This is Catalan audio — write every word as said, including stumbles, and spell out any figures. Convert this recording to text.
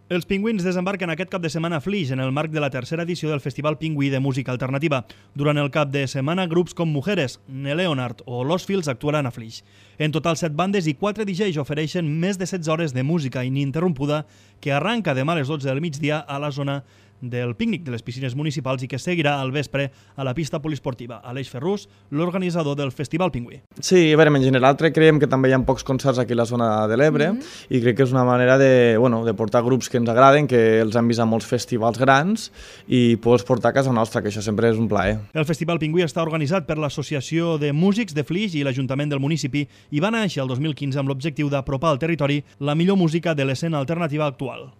Els Pingüins desembarquen aquest cap de setmana a Flix en el marc de la tercera edició del Festival Pingüí de Música Alternativa. Durant el cap de setmana, grups com Mujeres, Neleonard o Los Fils actuaran a Flix. En total, set bandes i quatre D Js ofereixen més de setze hores de música ininterrompuda que arranca demà a les dotze del migdia a la zona del pícnic de les piscines municipals i que seguirà al vespre a la pista poliesportiva. Aleix Ferrús, l'organitzador del Festival Pingüí. Sí, a veure, en general creiem que també hi ha pocs concerts aquí a la zona de l'Ebre mm -hmm. i crec que és una manera de, bueno, de portar grups que ens agraden, que els han vist a molts festivals grans i poder portar a casa nostra, que això sempre és un plaer. El Festival Pingüí està organitzat per l'Associació de Músics de Flix i l'Ajuntament del municipi i va néixer el dos mil quinze amb l'objectiu d'apropar al territori la millor música de l'escena alternativa actual.